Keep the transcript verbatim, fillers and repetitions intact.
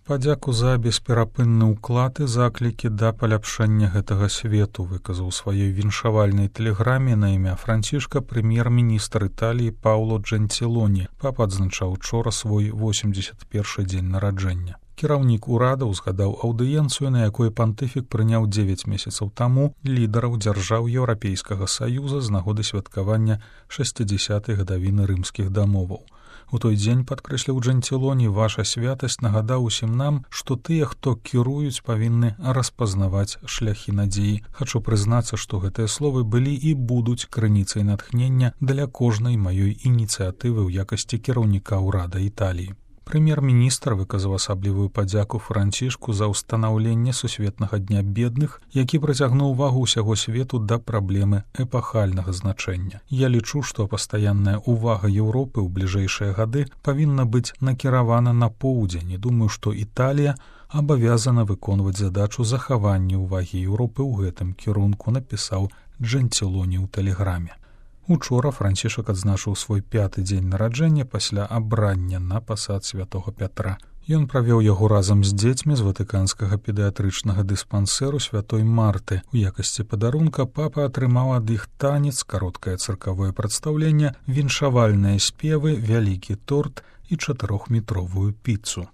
Падзяку за бесперапынны ўклад і заклікі да паляпшання гэтага свету выказаў сваёй віншавальнай тэлеграме на імя Францішка прэм'ер-міністр Італіі Пауло Джентилоні. Папа адзначаў учора свой восемьдесят першы дзень нараджэння. Кіраўнік урада ўзгадаў аўдыенцыю, на якой пантыфік прыняў дзевяць месяцаў таму лідараў дзяржаў Еўрапейскага Саюза з нагоды святкавання шэсцідзясятай гадавіны рымскіх дамоваў. У той дзень, падкрэсліў Джентилоні, ваша святасць нагадаў усім нам, што тыя, хто кіруюць, павінны распазнаваць шляхі надзеі. Хачу прызнацца, што гэтыя словы былі і будуць крыніцай натхнення для кожнай маёй ініцыятывы ў якасці кіраўніка ўрада Італіі. Прэм'ер-міністр выказаў асаблівую падзяку Францішку за ўстанаўленне сусветнага дня бедных, які прыцягнуў увагу ўсяго свету да праблемы эпахальнага значэння. Я лічу, што пастаянная ўвага Еўропы ў бліжэйшыя гады павінна быць накіравана на поўдзень, і думаю, што Італія абавязана выконваць задачу захавання ўвагі Еўропы ў гэтым кірунку, напісаў Джентилоні ў тэлеграме. Учора Францішак адзначыў свой пяты дзень нараджэння пасля абрання на пасад святога Пятра. Ён правёў яго разам з дзецьмі з ватыканскага педыятрычнага дыспансеру святой Марты. У якасці падарунка папа атрымаў ад іх танец, кароткае цыркавое прадстаўленне, віншавальныя спевы, вялікі торт і чатырохметровую піцу.